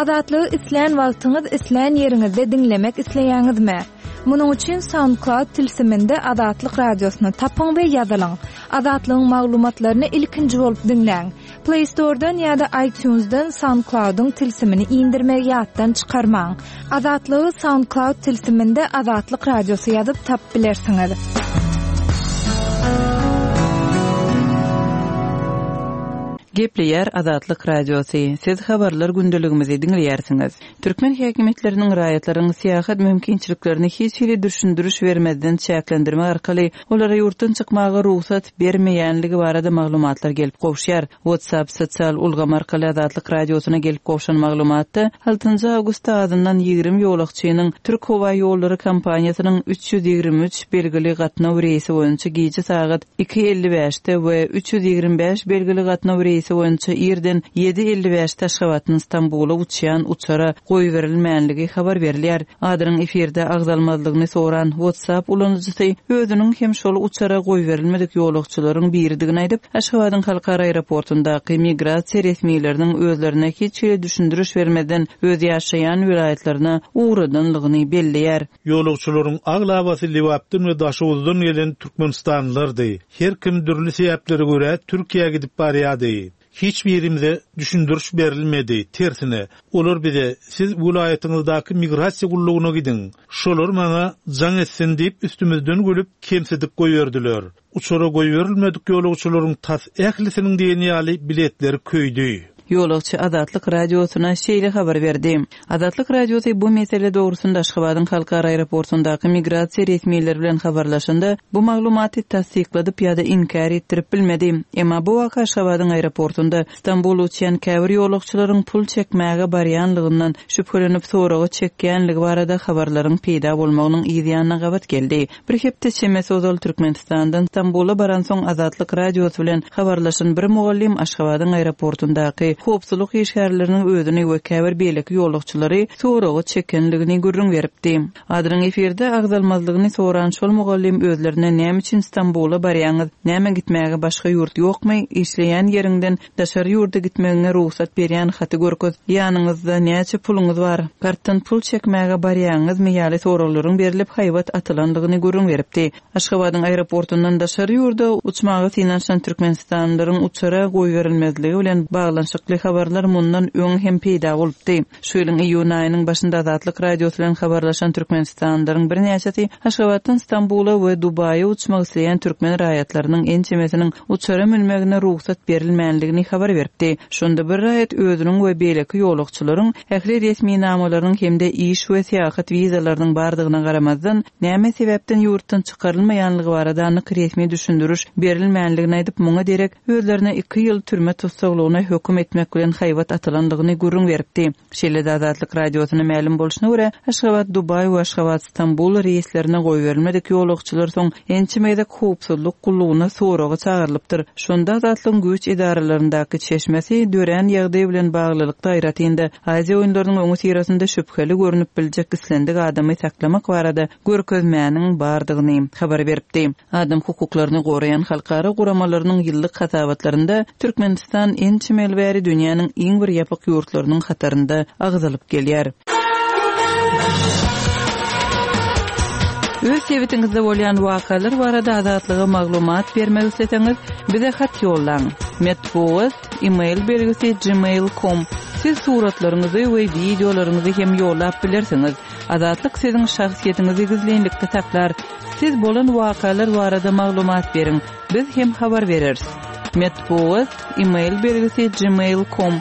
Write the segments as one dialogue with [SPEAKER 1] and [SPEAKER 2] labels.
[SPEAKER 1] Azatlygy islän wagtyňyz, islän ýeriňizde diňlemek isleýäňizmi? Munuň üçin SoundCloud tilsiminde Azatlyk Radiosyny tapyň we ýazylyň. Azatlygyň maglumatlaryny ilkinji bolup diňläň. Play Store-dan ýa-da iTunes-dan SoundCloud-yň tilsimini indirmegi ýatdan çykarmaň. Azatlygy SoundCloud tilsiminde Azatlyk Radiosy ýazyp tapyp bilersiňiz.
[SPEAKER 2] Gepleýär Azatlyk Radiosy, Siz habarlar gündeligimizi diňleýärsiňiz. Türkmen häkimiýetleriniň raýatlaryň syýahat mümkinçiliklerini hiç hili düşündiriş bermezden çäklendirmek arkaly olara ýurtdan çykmaga rugsat bermeýänligi barada maglumatlar gelip gowuşýar. WhatsApp sosial ulgamy arkaly Azatlyk Radiosyna gelip gowşan maglumatda, altynjy awgustda azyndan 20 ýolagçynyň Türk howa ýollary kompaniýasynyň 323 belgili gatnaw reýsi boýunça gije sagat 2:55-de we 325 belgili gatnaw reýsi boýunça irden 7:55-de Aşgabatdan Stambula uçýan uçara goýberilmänligi habar berilýär. Adynyň efirde agzalmazlygyny soran WhatsApp ulanyjysy özüniň hem şol uçara goýberilmedik ýolagçylaryň biridigini aýdyp, Aşgabadyň halkara aeroportyndaky migrasiýa resmileriniň özlerine hiç hili düşündiriş bermezden öz ýaşaýan welaýatlaryna ugradanlygyny belleýär.
[SPEAKER 3] Ýolagçylaryň aglabasy Lebapdan we Daşoguzdan gelen türkmenistanlylardy. Her kim dürli sebäplere görä Türkiýä gidip barýardy. Hiç birimize düşündiriş berilmedi, tersine, olar bize siz welaýatyňyzdaky migrasiýa gullugyna gidiň, şolar maňa jaň etsin diýip üstümizden gülüp, kemsidip goýberdiler. Uçara goýberilmedik ýolagçylaryň tas ählisiniň diýen ýaly biletleri köýdi.
[SPEAKER 2] Ýolagçy Azatlyk Radiosyna şeýle habar berdi. Azatlyk Radiosy bu mesele dogrusynda Aşgabadyň halkara aeroportyndaky migrasiýa resmileri bilen habarlaşanda, bu maglumaty tassykladyp ýa-da inkär etdirip bilmedi. Emma bu waka Aşgabadyň aeroportynda Stambula uçýan käbir ýolagçylaryň pul çekmäge barýanlygyndan şübhelenip soraga çekýänligi barada habarlaryň peýda bolmagynyň yz ýanyna gabat geldi. Bir hepde çemesi ozal Türkmenistandan Stambula baransoň Azatlyk Radiosy bilen habarlaşan bir mugallym Aşgabadyň aeroportyndaky howpsuzlyk işgärleriniň özüni we käbir beýleki ýolagçylary soraga çekenligini gürrüň beripdi. Adynyň efirde agzalmazlygyny soran şol mugallym özlerine näme üçin Stambula barýaňyz, näme gitmäge başga ýurt ýokmy, işleýän ýeriňden Daşary ýurda gitmegiňe rugsat berýän haty görkez, ýanyňyzda näçe puluňyz bar, kartdan pul çekmäge barýaňyzmy ýaly soraglaryň berlip haýbat atylandygyny gürrüň beripdi. Aşgabadyň aeroportundan daşary ýurda uçmaga synanyşan türkmenistanlylaryň uçara goýberilmezligi bilen baglanyşykly habarlar mundan öň hem peýda bolupdy. Şu ýylyň iýun aýynyň başynda Azatlyk Radiosy bilen habarlaşan türkmenistanlylaryň birnäçesi Aşgabatdan Stambula we Dubaýa uçmak isleýän türkmen raýatlarynyň ençemesiniň uçara münmegine rugsat berilmänligini habar beripdi. Şonda bir raýat özüniň we beýleki ýolagçylaryň ähli resminamalarynyň hem-de iş we syýahat wizalarynyň bardygyna garamazdan, näme sebäpden ýurtdan çykarylmaýanlygy barada anyk resmi düşündiriş berilmänligini aýdyp, muňa derek özlerine iki ýyl türme tussaglygyna höküm etmek bilen haýbat atylandygyny gürrüň beripdi. Şeýle-de Azatlyk Radiosyna mälim bolşuna görä, Aşgabat-Dubaý we Aşgabat-Stambul reýslerine goýberilmedik ýolagçylar soň ençeme gezek howpsuzlyk gullugyna soraga çagyrylypdyr. Şonda Azatlygyň güýç edaralaryndaky çeşmesi dörän ýagdaý bilen baglylykda aýratyn-da Aziýa oýunlarynyň öňüsyrasynda şübheli görnüp biljek islendik adamy saklamak barada görkezmäniň bardygyny habar beripdi. Adam hukuklaryny goraýan halkara guramalarynyň ýyllyk hasabatlarynda Türkmenistan ençeme ýyl bäri dünýäniň iň bir ýapyk ýurtlarynyň hatarynda agzalyp gelýär. Öz sebitiňizde bolýan wakalar barada Azatlyga maglumat bermek isleseňiz, bize hat ýollaň. Metbugat, e-mail belgisi gmail com. Siz suratlaryňyzy we wideolaryňyzy hem ýollap bilersiňiz. Azatlyk siziň şahsyýetiňizi gizlinlikde saklar. Siz bolan wakalar barada maglumat beriň, biz hem habar bereris. Metbugat, e-mail belgisi gmail com.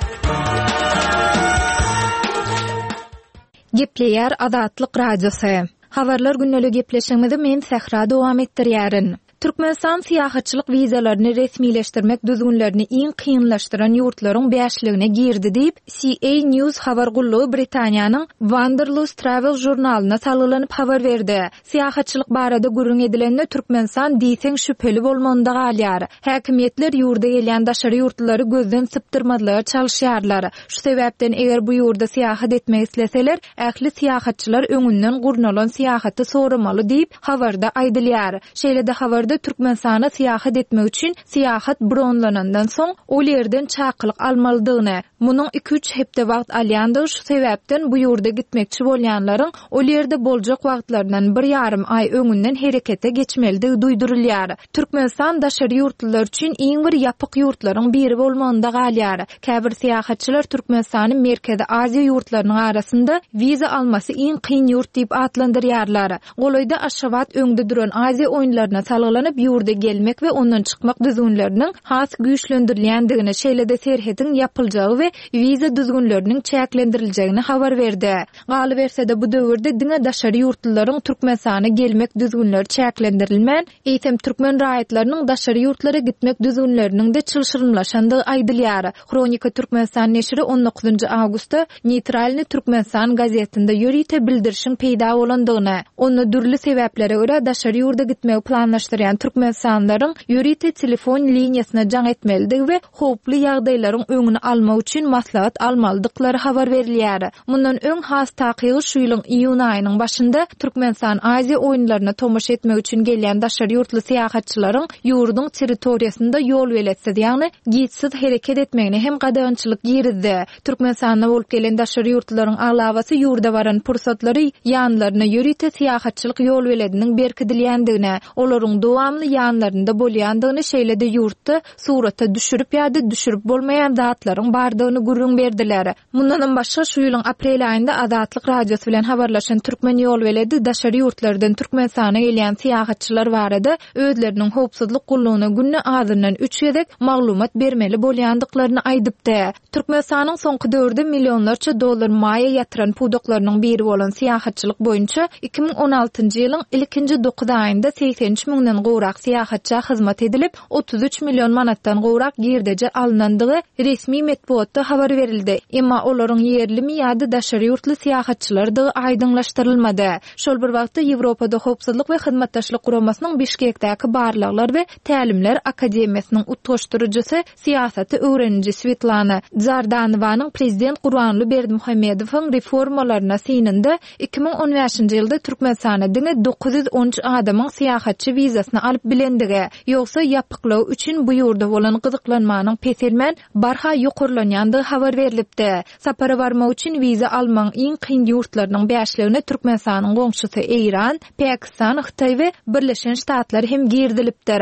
[SPEAKER 1] Gepleýär Azatlyk Radiosy. Habarlar gündeli gepleşigimizi men Sähra dowam etdirýärin. Türkmenistan syýahatçylyk wizalaryny resmileşdirmek düzgünlerini iň kynlaşdyran ýurtlaryň bäşligine girdi diýip, CA News habar gullugy Britaniýanyň Wanderlust Travel žurnalyna salgylanyp habar berdi. Syýahatçylyk barada gürrüň edilende, Türkmenistan diýseň şübheli bolmagynda galýar. Häkimiýetler ýurda gelýän daşary ýurtlulary gözden sypdyrmazlyga çalyşýarlar. Şu sebäpden, eger bu ýurda syýahat etmek isleseler, ähli syýahatçylar öňünden gurnalan syýahaty soramaly diýip, habarda aýdylýar. Şeýle-de habarda. Habarda Türkmenistana syýahat etmek üçin syýahat bronlanandan soň, ol ýerden çakylyk almalydygyny, munuň iki-üç hepde wagt alýandygy şu sebäpden bu ýurda gitmekçi bolýanlaryň ol ýerde boljak wagtlaryndan bir ýarym aý öňünden herekete geçmelidigi duýdurylýar. Türkmenistan daşary ýurtlular üçin iň bir ýapyk ýurtlaryň biri bolmagynda galýar. Käbir syýahatçylar Türkmenistany Merkezi Aziýa ýurtlarynyň arasynda wiza almasy iň kyn ýurt diýip atlandyrýarlar. Golaýda Aşgabat öňde duran Aziýa oýunlaryna salgylanyp, ýurda gelmek we ondan çykmak düzgünleriniň has güýçlendirilýändigini, şeýle-de serhediň ýapyljagy we wiza düzgünleriniň çäklendiriljegini habar berdi. Galyberse-de, bu döwürde diňe daşary ýurtlularyň Türkmenistana gelmek düzgünleri çäklendirilmän, eýsem türkmen raýatlarynyň daşary ýurtlara gitmek düzgünleriniň-de çylşyrymlaşandygy aýdylýar. Hronika Türkmenistan neşiri on dokuzynjy awgustda Neýtralnyý Türkmenistan gazetinde ýörite bildirişiň peýda bolandygyny, onda dürli sebäplere görä daşary ýurda gitmegi planlaşdyrýan türkmenistanlylaryň ýörite telefon liniýasyna jaň etmelidigi we howply ýagdaýlaryň öňüni almak üçin maslahat almalydyklary habar berilýär. Mundan öň, has takygy şu ýylyň iýun aýynyň başynda Türkmenistan Aziýa oýunlaryna tomaşa etmek üçin gelýän daşary ýurtly syýahatçylaryň ýurduň territoriýasynda ýolbeletsiz, ýagny gidsiz hereket etmegine hem gadagançylyk girizdi. Türkmenistanda bolup gelen daşary ýurtlularyň aglabasy ýurda baran pursatlary ýanlaryna ýörite syýahatçylyk ýolbelediniň berkidilýändigini, olaryň dowamly ýanlarynda bolýandygyny, şeýle-de ýurtda surata düşürip ýa-da düşürip bolmaýan zatlaryň bardygyny gürrüň berdiler. Mundanam başga, şu ýylyň aprel aýynda Azatlyk Radiosy bilen habarlaşan türkmen ýolbeledi daşary ýurtlardan Türkmenistana gelýän syýahatçylar barada özleriniň howpsuzlyk gullugyna günde azyndan üç gezek maglumat bermeli bolýandyklaryny aýdypdy. Türkmenistanyň soňky döwürde millionlarça dollar maýa ýatyran pudaklarynyň biri bolan syýahatçylyk boýunça 2016-njy ýylyň ilkinji dokuz aýynda 83 müňden gowrak syýahatça hyzmat edilip, 33 million manatdan gowrak girdeji alnandygy resmi metbugatda habar berildi. Emma olaryň ýerlimi ýa-da daşary ýurtly syýahatçylardygy aýdyňlaşdyrylmady. Şol bir wagtda, Ýewropada Howpsuzlyk we Hyzmatdaşlyk Guramasynyň Bişkekdäki barlaglar we tälimler akademiýasynyň utgaşdyryjysy, syýasaty öwreniji Swetlana Dzardanowanyň prezident Gurbanguly Berdimuhamedowyň reformalaryna synynda 2015-nji ýylda Türkmenistana diňe 913 adamyň syýahatçy wizasyny alyp bilendigi, ýogsa ýapyklygy üçin bu ýurda bolan gyzyklanmanyň peselmän, barha ýokarlanýandygy habar berlipdi. Sapara barmak üçin wiza almagyň iň kyn ýurtlarynyň bäşligine Türkmenistanyň goňşusy Eýran, Pakistan, Hytaý we Birleşen Ştatlar hem girizilipdir.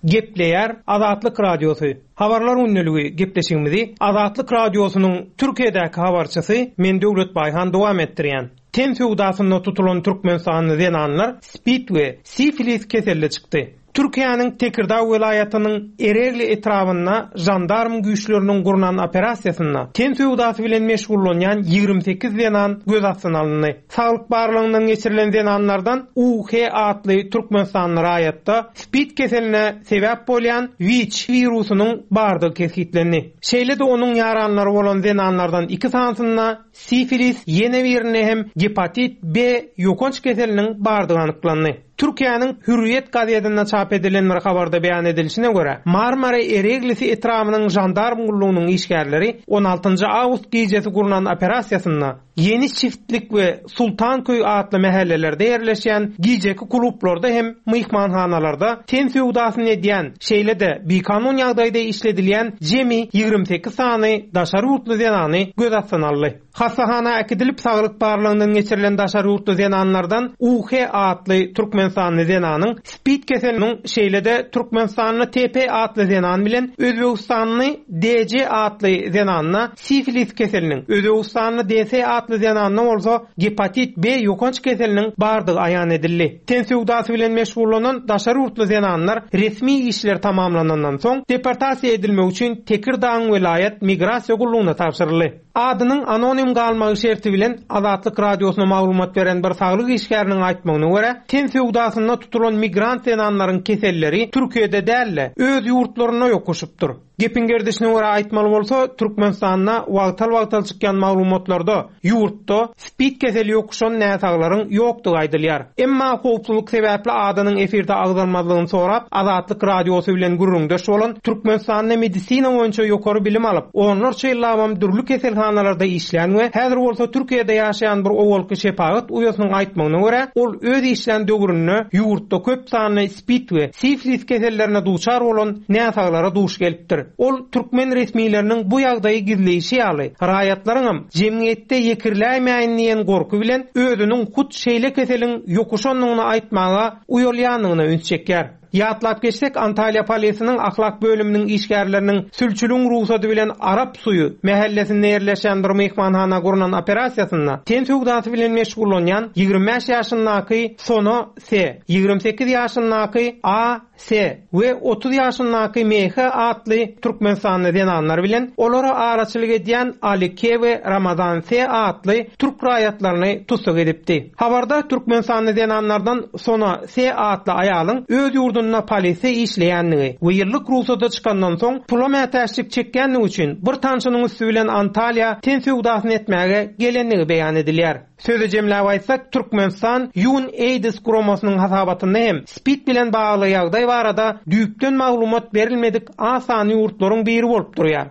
[SPEAKER 4] Gepleýär Azatlyk Radiosy, Habarlar gündeligi gepleşigimizi Azatlyk Radiosynyň Türkiýedäki habarçysy men Döwlet Baýhan dowam etdirýän. Ten söwdasynda tutulan türkmenistanly zenanlar spid we sifilis keselli çykdy. Türkiýäniň Tekirdag welaýatynyň Eregli etrabynda žandarm güýçleriniň gurnan operasiýasynda ten söwdasy bilen meşgullanýan 28 zenan göz astyna alyndy. Saglyk barlagyndan geçirilen zenanlardan UH atly türkmenistanly raýatda spid keseline sebäp bolýan WIÇ wirusynyň bardygy kesgitlendi. Şeýle-de onuň ýaranlary bolan zenanlardan iki sanysynda sifilis, ýene birinde hem gepatit B ýokanç keseliniň bardygy anyklandy. Türkiýäniň Hürriýet gazetinde çap edilen bir habarda beýan edilişine görä, Marmara Ereglisi etrabynyň žandarm gullugynyň işgärleri on altynjy awgust gijesi gurnan operasiýasynda Ýeni Çiftlik we Sultanköý atly mähellelerde ýerleşýän gijeki klublarda hem myhmanhanalarda ten söwdasyny edýän, şeýle-de bikanun ýagdaýda işledilýän jemi 28 sany daşary ýurtly zenany göz astyna aldy. Hassahana äkidilip saglyk barlagyndan geçirilen daşary ýurtly zenanlardan UH atly türkmenistanly zenanyň spid keseliniň şeýle-de türkmenistanly TP atly zenan bilen özbegistanly DC atly zenanda sifilis keseliniň, özbegistanly DS atly zenanda bolsa gepatit B ýokanç keseliniň bardygy aýan edildi. Ten söwdasy bilen meşgullanan daşary ýurtly zenanlar resmi işler tamamlanandan soň deportasiýa edilmek üçin Tekirdagyň welaýat migrasiýa gullugyna tabşyryldy. Adynyň anonim galmagy şerti bilen Azatlyk Radiosyna maglumat beren bir saglyk işgäriniň aýtmagyna görä, ten söwdasynda tutulan migrant zenanlaryň keselleri Türkiýede däl-de, öz ýurtlarynda ýokuşypdyr. Gepiň gerdişine görä aýtmaly bolsa, Türkmenistanda wagtal-wagtal çykýan maglumatlarda ýurtda spid keseli ýokuşan näsaglaryň ýokdugy aýdylýar. Emma howpsuzlyk sebäpli adynyň efirde agzalmazlygyny sorap, Azatlyk Radiosy bilen gürrüňdeş bolan Türkmenistanda medisina boýunça ýokary bilim alyp, onlarça ýyllabam dürli keselhanalarda işlän we häzir bolsa Türkiýede ýaşaýan bir owalky şepagat uýasynyň aýtmagyna görä, ol öz işlän döwründe ýurtda köp sanly spid we siflis kesellerine duçar bolan näsaglara duş gelipdir. Ol türkmen resmileriniň bu ýagdaýy gizleýşi ýaly, raýatlaryňam jemgyýetde ýekirläýmäýin diýen gorky bilen özüniň hut şeýle keseliň ýokuşandygyny aýtmaga uýalýandygyna üns çekýär. Ýatlap geçsek, Antalýa polisiniň ahlak bölüminiň işgärleriniň sülçüligiň rugsady bilen Arap suýy mähellesinde ýerleşýän bir myhmanhana gurnan operasiýasynda ten söwdasy bilen meşgullanýan 25 ýaşyndaky Sona S. 28 ýaşyndaky A. S. we 30 ýaşyndaky M. H. atly türkmenistanly zenanlar bilen olara araçylyk edýän Ali K. we Ramazan S. atly türk raýatlaryny tussag edipdi. Habarda türkmenistanly zenanlardan Sona S. atly aýalyň öz ýurdunda polisde işleýändigi we ýyllyk rugsada çykandan soň pula mätäçlik çekýändigi üçin bir tanşynyň üsti bilen Antalýa ten söwdasyny etmäge gelendigi beýan edilýär. Sözi jemläp aýtsak, Türkmenistan UNAIDS guramasynyň hasabatynda hem spid bilen bagly ýagdaý barada düýpden maglumat berilmedik az sanly ýurtlaryň biri bolup durýar.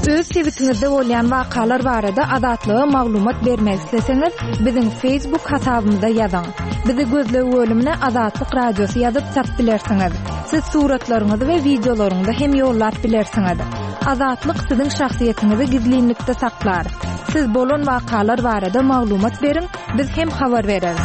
[SPEAKER 1] Öz sebitiňizde bolýan wakalar barada Azatlyga maglumat bermek isleseňiz, biziň Facebook hasabymyza ýazyň. Bizi gözleg bölümine Azatlyk Radiosy ýazyp tap bilersiňiz. Siz suratlaryňyzy we wideolaryňyzy hem ýollap bilersiňiz. Azatlyk siziň şahsyýetiňizi gizlinlikde saklar. Siz bolan wakalar barada maglumat beriň, biz hem habar bereris.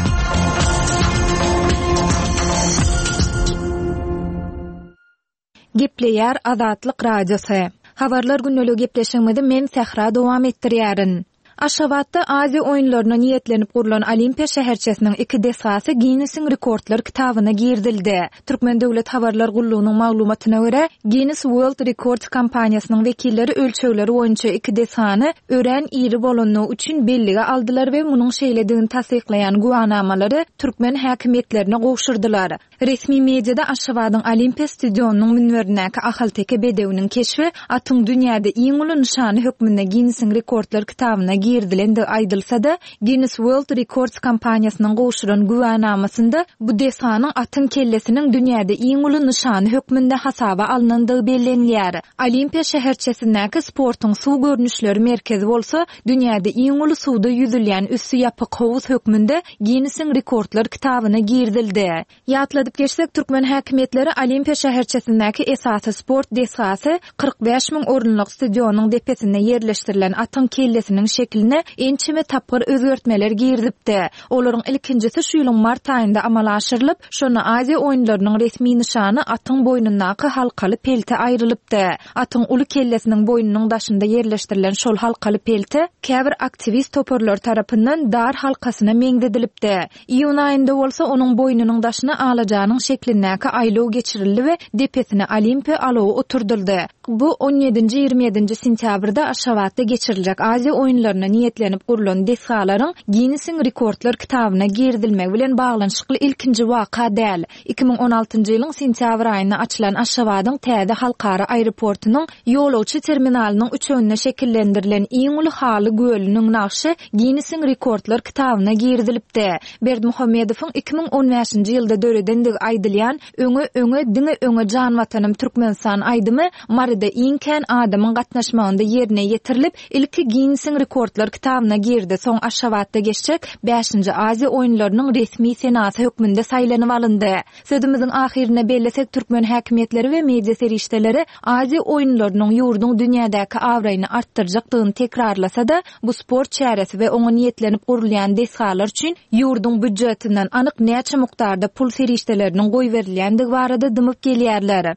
[SPEAKER 1] Gepleýär Azatlyk Radiosy. Habarlar gündeligi gepleşigimizi men Sähra dowam etdirýärin. Aşgabatda Aziýa oýunlaryna niýetlenip gurlan Olimpiýa şäherçesiniň iki desgasy Ginnesiň rekordlar kitabyna girizildi. Türkmen döwlet habarlar gullugynyň maglumatyna görä, Guinness World Records kompaniýasynyň wekilleri ölçegleri boýunça iki desgany örän iri bolandygy üçin bellige aldylar we munuň şeýledigini tassyklaýan güwänamalary türkmen häkimiýetlerine gowşurdylar. Resmi mediada Aşgabadyň Olimpiýa stadionynyň münberindäki ahalteke bedewiniň keşbi atyň dünýäde iň uly nyşany hökmünde Ginnesiň rekordlar kitabyna girizilendigi aýdylsa-da, Guinness World Records kompaniýasynyň gowşuran güwänamasynda bu desganyň atyň kellesiniň dünýäde iň uly nyşany hökmünde hasaba alnandygy bellenilýär. Olimpiýa şäherçesindäki sportuň suw görnüşleri merkezi bolsa dünýäde iň uly suwda ýüzülýän üsti ýapyk howuz hökmünde Ginnesiň rekordlar kitabyna girizildi. Ýatladyp geçsek, türkmen häkimiýetleri Olimpiýa şäherçesindäki esasy sport desgasy 45 müň orunlyk stadionyň depesinde ýerleşdirilen atyň kellesiniň şekiline ençeme tapgyr özgertmeler girizipdi. Olaryň ilkinjisi şu ýylyň mart aýynda amala aşyrylyp, şonda Aziýa oýunlarynyň resmi nyşany atyň boýnundaky halkaly pelte aýrylypdy. Atyň uly kellesiniň boýnunyň daşynda ýerleşdirilen şol halkaly pelte käbir aktiwist toparlary tarapyndan dar halkasyna meňzedilipdi. Iýun aýynda bolsa onuň boýnunyň daşyna alajanyň şeklindäki aýlaw geçirildi we depesine Olimpiýa alawy oturdyldy. Bu on ýedinji-ýigrimi ýedinji sentýabrda Aşgabatda geçiriljek Aziýa oýunlaryna niýetlenip gurlan desgalaryň Ginnesiň rekordlar kitabyna girizilmegi bilen baglanyşykly ilkinji waka däl. 2016-njy ýylyň sentýabr aýynda açylan Aşgabadyň täze halkara aeroportunyň ýolagçy terminalynyň üçeginde şekillendirilen iň uly haly gölüniň nagşy Ginnesiň rekordlar kitabyna girizilipdi. Berdimuhamedowyň 2015-nji ýylda döredendigi aýdylýan Öňe, öňe, diňe öňe jan Watanym Türkmenistan aýdymy Maryda iň kän adamyň gatnaşmagynda ýerine ýetirilip, Ilki Ginnesiň rekordlar kitabyna girdi, soň Aşgabatda geçjek bäşinji Aziýa oýunlarynyň resmi senasy hökmünde saýlanyp alyndy. Sözümiziň ahyrynda bellesek, türkmen häkimiýetleri we media serişdeleri Aziýa oýunlarynyň ýurduň dünýädäki abraýyny artdyrjakdygyny tekrarlasa-da, bu sport çäresi we oňa niýetlenip gurulýan desgalar üçin ýurduň býudjetinden anyk näçe mukdarda pul serişdeleriniň goýberilýändigi barada dymyp gelýärler.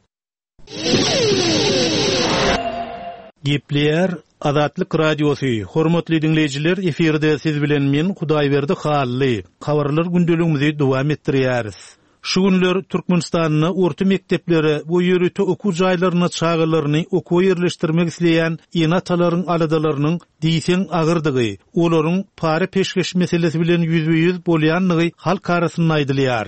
[SPEAKER 3] Gepleýär Azatlyk Radiosy, Hormatly diňleýjiler, efirde siz bilen men Hudaýberdi Hally. Habarlar gündeligimizi dowam etdirýäris. Şu günler Türkmenistanda orta mekdeplere we ýörite okuw jaýlaryna çagalaryny okuwa ýerleşdirmek isleýän ene-atalaryň aladalarynyň diýseň agyrdygy, olaryň para-peşgeş meselesi bilen ýüzbe-ýüz bolýandygy halk arasynda aýdylýar.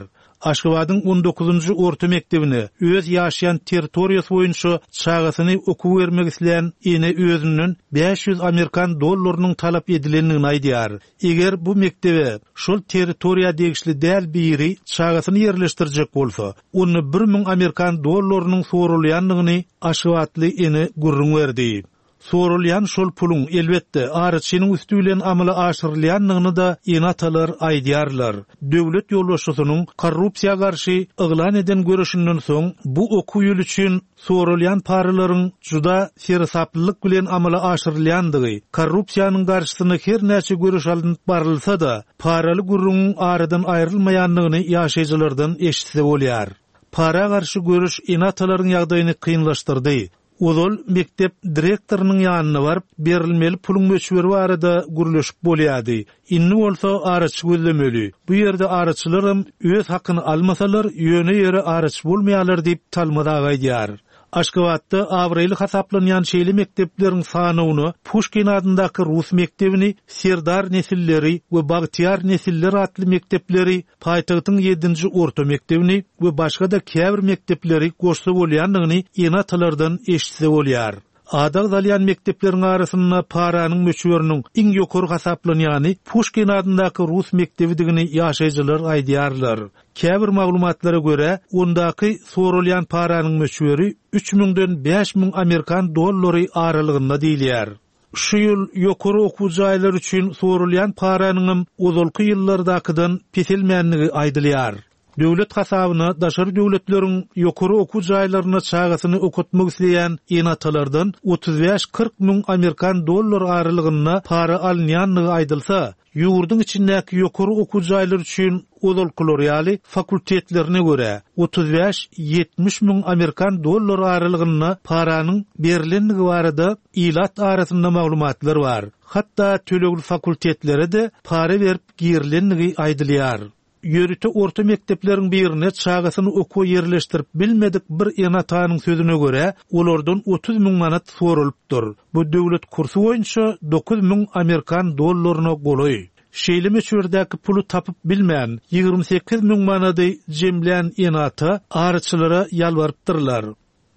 [SPEAKER 3] Aşgabadyň on dokuzynjy orta mekdebine öz ýaşaýan territoriýasy boýunça çagasyny okuwa bermek isleýän ene özünden 500 amerikan dollarynyň talap edilendigini aýdýar. Eger bu mekdebe şol territoriýa degişli däl biri çagasyny ýerleşdirjek bolsa, onda 1000 amerikan dollarynyň soralýandygyny aşgabatly ene gürrüň berdi. Soralýan şol puluň, elbetde, araçynyň üsti bilen amala aşyrylýandygyny-da ene-atalar aýdýarlar. Döwlet ýolbaşçysynyň korrupsiýa garşy yglan eden göreşinden soň bu okuw ýyly üçin soralýan paralaryň juda seresaplylyk bilen amala aşyrylýandygy, korrupsiýanyň garşysyna her näçe göreş alnyp barylsa-da, paraly gürrüňiň aradan aýrylmaýandygyny ýaşaýjylardan eşitse bolýar. Para garşy göreş ene-atalaryň ýagdaýyny kynlaşdyrdy. Ozal mekdep direktorynyň ýanyna baryp, berilmeli puluň möçberi barada gürleşip bolýardy. Indi bolsa araçy gözlemeli. Bu ýerde araçylaram öz hakyny almasalar, ýöne ýere araçy bolmaýarlar diýip, Talmaz aga aýdýar. Aşgabatda abraýly hasaplanýan şeýle mekdepleriň sanawyna Puşkin adyndaky rus mekdebini, Serdar nesilleri we Bagtyýar nesiller atly mekdepleri, paýtagtyň ýedinji orta mekdebini we başga-da käbir mekdepleri goşsa bolýandygyny ene-atalardan eşitse bolýar. Ady agzalýan mekdepleriň arasynda paranyň möçberiniň iň ýokary hasaplanýany Puşkin adyndaky rus mekdebidigini ýaşaýjylar aýdýarlar. Käbir maglumatlara görä, ondaky soralýan paranyň möçberi üç müňden 5000 amerikan dollary aralygynda diýilýär. Şu ýyl ýokary okuw jaýlary üçin soralýan paranyňam ozalky ýyllardakydan peselmändigi aýdylýar. Döwlet hasabyna daşary döwletleriň ýokary okuw jaýlarynda çagasyny okatmak isleýän ene-atalardan 35-40 müň amerikan dollary aralygynda para alynýandygy aýdylsa, Ýurduň içindäki ýokary okuw jaýlary üçin ozalkylar ýaly fakultetlerine görä, 35, 70 müň amerikan dollary aralygynda paranyň berlendigi barada ilat arasynda maglumatlar bar. Hatda tölegli fakultetlere-de para berip girilendigi aýdylýar. Ýörite orta mekdepleriň birine çagasyny okuwa ýerleşdirip bilmedik bir ene-atanyň sözüne görä, olardan 30 müň manat soralypdyr. Bu döwlet kursy boýunça 9000 amerikan dollaryna golaý. Şeýle möçberdäki puly tapyp bilmän, 28 müň manady jemlän ene-ata araçylara ýalbarypdyrlar.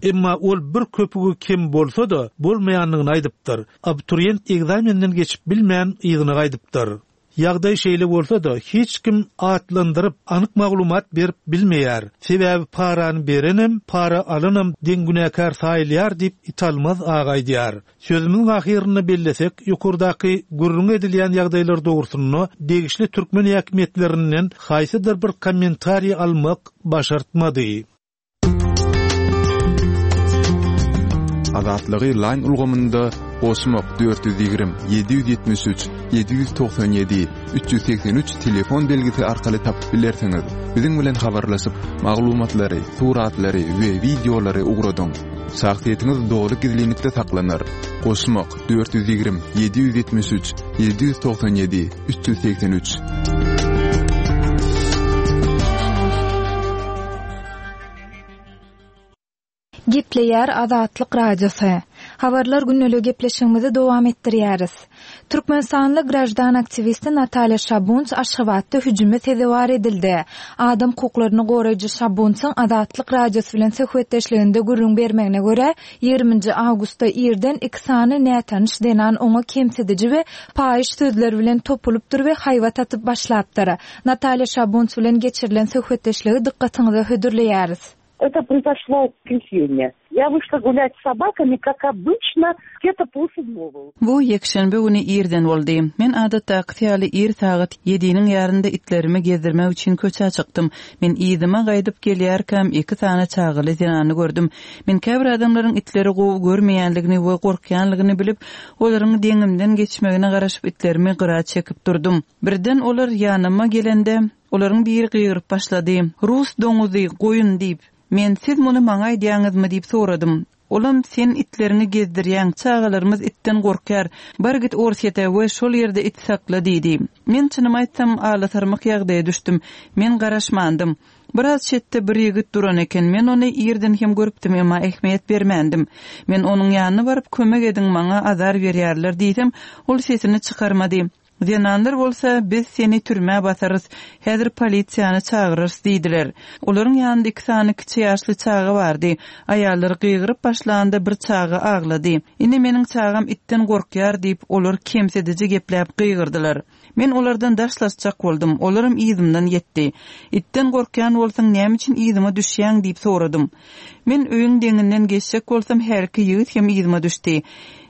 [SPEAKER 3] Emma ol bir köpügi kem bolsa-da, bolmaýandygyny aýdypdyr. Abiturient ekzamenden geçip bilmän, yzyna gaýdypdyr. Ýagdaý şeýle bolsa-da, hiç kim atlandyryp, anyk maglumat berip bilmeýär. Sebäbi parany berenem, para alanam deň günäkär saýylýar diýip, Italmaz aga aýdýar. Sözümiziň ahyrynda bellesek, ýokardaky gürrüňi edilýän ýagdaýlar dogrusynda degişli türkmen häkimiýetlerinden haýsydyr bir kommentariý almak başartmady.
[SPEAKER 5] Azatlygy Line ulgamynda goşmak 420 773 797 383 telefon belgisi arkaly tapyp bilersiňiz. Biziň bilen habarlaşyp, maglumatlary, suratlary we wideolary ugradyň. Şahsyýetiňiz doly gizlinlikde saklanar. Goşmak 420 773 797 383.
[SPEAKER 1] Gepleýär Azatlyk Radiosy. Habarlar gündeligi gepleşigimizi dowam etdirýäris. Türkmenistanly graždan aktiwisti Natalýa Şabunts Aşgabatda hüjüme sezewar edildi. Adam hukuklaryny goraýjy Şabuntsyň Azatlyk Radiosy bilen söhbetdeşliginde gürrüň bermegine görä, 20-nji awgustda irden iki sany nätanyş zenan oňa kemsidiji we paýyş sözler bilen topulypdyr we haýbat atyp başlapdyr. Natalýa Şabunts bilen geçirilen söhbetdeşligi dykgatyňyza hödürleýäris.
[SPEAKER 6] Это произошло в воскресенье. Я вышла гулять с собаками, как обычно, где-то полседьмого.
[SPEAKER 2] Bu ýekşenbe güni irden boldy. Men adatdakysy ýaly ir sagat ýediniň ýarynda itlerimi gezdirmek üçin köçä çykdym. Men yzyma gaýdyp gelýärkäm iki sany çagaly zenany gördüm. Men käbir adamlaryň itleri gowy görmeýänligini we gorkýanlygyny bilip, olaryň deňimden geçmegine garaşyp itlerimi gyra çekip durdum. Birden olar ýanyma gelende, olaryň biri gygyryp başlady, Rus doňuzy, goýun diýip. Men Siz muny maňa aýdýaňyzmy diýip soradym. Olam Sen itleriňi gezdirýäň, çagalarymyz itden gorkýar. Bar git Orsýete we şol ýerde it sakla diýdi. Men çynymy aýtsam, alasarmyk ýagdaýa düşdüm. Men garaşmandym. Biraz çetde bir ýigit duran eken, men ony irden hem görüpdim, emma ähmiýet bermändim. Men onuň ýanyna baryp, kömek ediň, maňa azar berýärler diýsem, ol sesini çykarmady. Zenanlar bolsa, Biz seni türmä basarys, häzir polisiýany çagyrarys diýdiler. Olaryň ýanynda iki sany kiçi ýaşly çaga bardy. Aýallar gygyryp başlanda bir çaga aglady. Ine meniň çagam itden gorkýar diýip, olar kemsidiji gepläp gygyrdylar. Men olardan daşlaşjak boldum, olaram yzymdan ýetdi. Itden gorkýan bolsaň näme üçin yzyma düşýäň diýip soradym. Men öýüň deňinden geçjek bolsam hälki ýigit hem yzyma düşdi.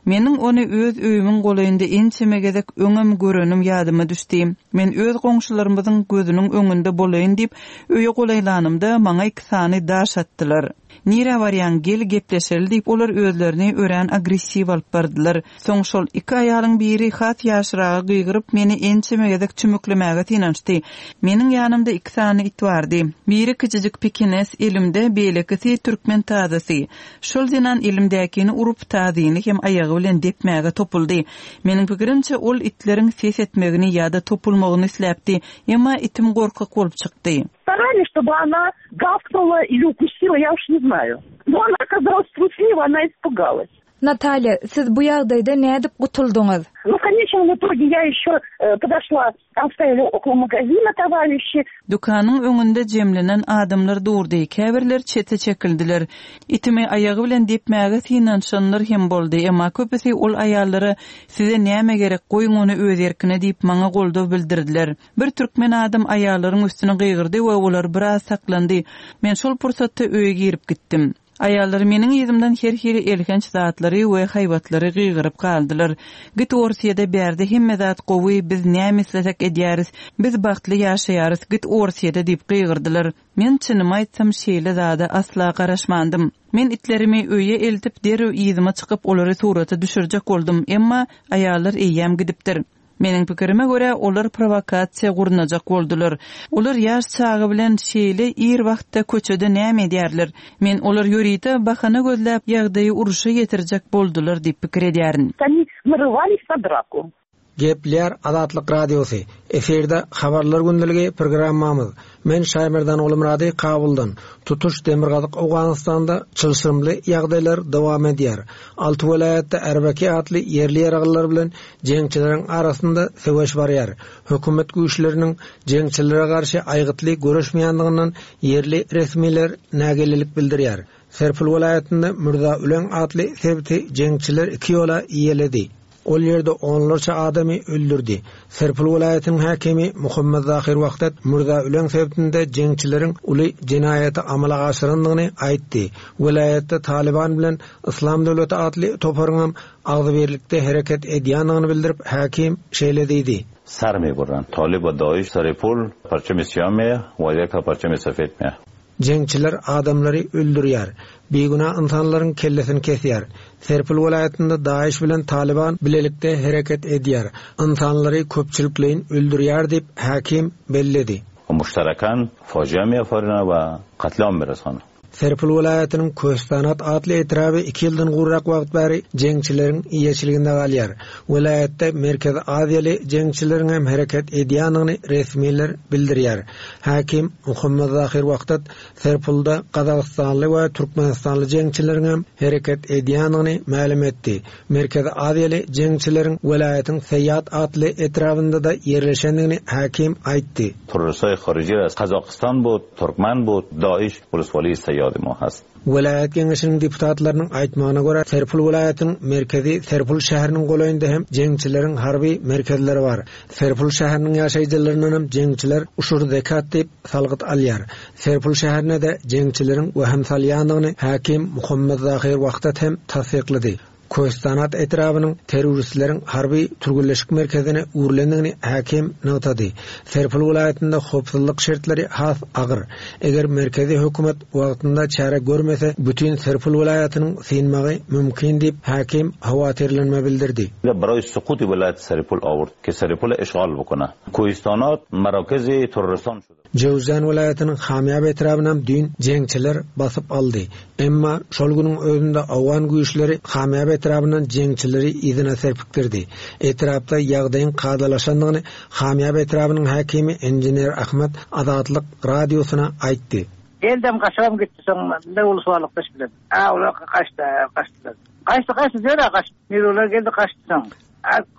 [SPEAKER 2] Meniň ony öz öýümiň golaýynda ençeme gezek öňem görenim ýadyma düşdi. Men öz goňşularymyzyň gözüniň öňünde bolaýyn diýip öýe golaýlanymda maňa iki sany daş atdylar. Nirä barýaň, gel gepleşeli diýip olar özlerini örän agressiw alyp bardylar. Soň şol iki aýalyň biri has ýaşragy gygyryp meni ençeme gezek çümüklemäge synanyşdy. Meniň ýanymda iki sany it bardy. Biri kiçijik pekines elimde, beýlekisi türkmen tazysy. Şol zenan elimdäkini urup, tazyny hem aýagy bilen depmäge topuldy. Meniň pikirimçe, ol itleriň ses etmegini ýa-da topulmagyny isläpdi. Emma itim gorkak bolup çykdy.
[SPEAKER 6] Starались, чтобы она gawknula ili ukusila, ya uş ne znaýu. No ona okazalas trusliwa, ona ispugalas.
[SPEAKER 1] Natalýa, siz bu ýagdaýda nädip gutuldyňyz?
[SPEAKER 6] Nu, w konečnom itoge ýa ýeşe podoşla, tam stoýali okolo magazina towarişi.
[SPEAKER 2] Dükanyň öňünde jemlenen adamlar durdy, käbirler çete çekildiler. Itimi aýagy bilen depmäge synanyşanlar hem boldy, emma köpüsi ol aýallara Size näme gerek, goýuň ony öz erkine diýip maňa goldaw bildirdiler. Bir türkmen adam aýallaryň üstüne gygyrdy we olar biraz saklandy. Men şol pursatda öýe girip gitdim. Aýallar meniň yzymdan her hili elhenç zatlary we haýbatlary gygyryp galdylar. Git Orsýede bärde hemme zat gowy biz näme islesek edýäris, biz bagtly ýaşaýarys git Orsýede diýip gygyrdylar. Men çynymy aýtsam şeýle zada asla garaşmandym. Men itlerimi öýe eltip derrew yzyma çykyp olary surata düşürjek boldum emma aýallar eýýäm gidipdir. Meniň pikirime görä, olar prowokasiýa gurnajak boldular. Olar ýaş çaga bilen şeýle ir wagtda köçede näme edýärler? Men olar ýörite bahana gözläp, ýagdaýy urşa ýetirjek boldular diýip pikir edýärin.
[SPEAKER 6] Oni narywались na draku.
[SPEAKER 7] Gepleýär Azatlyk Radiosy, Efirde Habarlar gündeligi programmamyz. Men Şaýmerdan Gulmyrady Kabuldan. Tutuş Demirgazyk Owganystanda çylşyrymly ýagdaýlar dowam edýär. Alty welaýatda RBK atly ýerli ýaraglylar bilen jeňçileriň arasynda söweş barýar. Hökümet güýçleriniň jeňçilere garşy aýgytly göreşmeýändiginden ýerli resmiler nägilelik bildirýär. Serpil welaýatynda Mürza Üleň atly sebiti jeňçiler iki ýola eýeledi. Ol ýerde onlarça adamy öldürdi. Serpil welaýatynyň häkimi Muhammet Zahyr Wahdat Mürza Üleň sebitinde jeňçileriň uly jenaýaty amala aşyrandygyny aýtdy. Welaýatda Talyban bilen Yslam döwleti atly toparyňam agzybirlikde hereket edýändigini bildirip, häkim şeýle diýdi.
[SPEAKER 8] Sar meburran. Talyp we Daiş Saripol parçamy syýa meýa we ýeka parçamy sefed meýa.
[SPEAKER 7] Jeňçiler adamlary öldürýär. Bigünä ynsanlaryň kellesini kesýär. Serpil welaýatynda Daiş bilen Talyban bilelikde hereket edýär. Ynsanlary köpçülikleýin öldürýär diýip, häkim belledi.
[SPEAKER 8] Muştarakan fojia meýafarina we katliam meresana.
[SPEAKER 7] Serpil welaýatynyň Köstanat atly etraby iki ýyldan gowrak wagt bäri jeňçileriň eýeçiliginde galýar. Welaýatda Merkezi Aziýaly jeňçileriň hem hereket edýändigini resmiler bildirýär. Häkim Muhammad Zahir Wahdat Serpilde gazagystanly we türkmenistanly jeňçileriň hem hereket edýändigini mälim etdi. Merkezi Aziýaly jeňçileriň welaýatyň Seýat atly etrabynda-da ýerleşendigini häkim aýtdy.
[SPEAKER 8] Terroristhaý haryjy az Kazakystan bud, Türkmen bud, Daiş uluswaly Seýady ma hast.
[SPEAKER 7] Welaýat geňeşiniň deputatlarynyň aýtmagyna görä, Serpil welaýatynyň merkezi Serpil şäheriniň golaýynda hem jeňçileriň harby merkezleri bar. Serpil şäheriniň ýaşaýjylaryndan hem jeňçiler uşur zekat diýip salgyt alýar. Serpil şäherine-de jeňçileriň wehim salýandygyny häkim Muhammet Zahyr Wahdat hem tassyklady. Köstanat etrabynyň terroristleriň harby türgenleşik merkezine öwrülendigini häkim nygtady. Serpil welaýatynda howpsuzlyk şertleri has agyr. Eger merkezi hökümet wagtynda çäre görmese, bütin Serpil welaýatynyň synmagy mümkin diýip, häkim howatyrlanma bildirdi.
[SPEAKER 8] Baraý sukuty welaýat Serpil awurt ki Serpile işgal bukuna. Köstanat marakezi terroristan şuda.
[SPEAKER 7] Jöwüzjan welaýatynyň Hamýap etrabynam düýn jeňçiler basyp aldy. Emma şol günüň özünde owgan güýçleri Hamýap etrabyndan jeňçileri yzyna serpikdirdi. Etrapda ýagdaýyň kadalaşandygyny Hamýap etrabynyň häkimi inžener Ahmet Azatlyk Radiosyna aýtdy.
[SPEAKER 9] Geldem gaçybam gitdi soň ne ulusbalykdaş bilen. A olar gaçdy gaçdylar. Gaçdy gaçdy diýer gaçdy. Olar geldi gaçdy soň.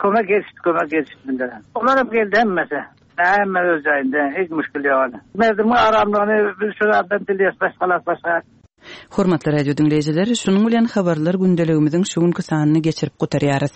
[SPEAKER 9] Kömek gelişdi, kömek gelişdi bindere. Olar hem geldi hemmesi. Hemme öz jaýynda, hiç müşkil ýok. Merdimiň aramlygyny biz şu zatdan dilýäs, başgalar başga.
[SPEAKER 2] Hormatly radio diňleýjiler, şunuň bilen habarlar gündeligimiziň şu günki sanyny geçirip gutarýarys.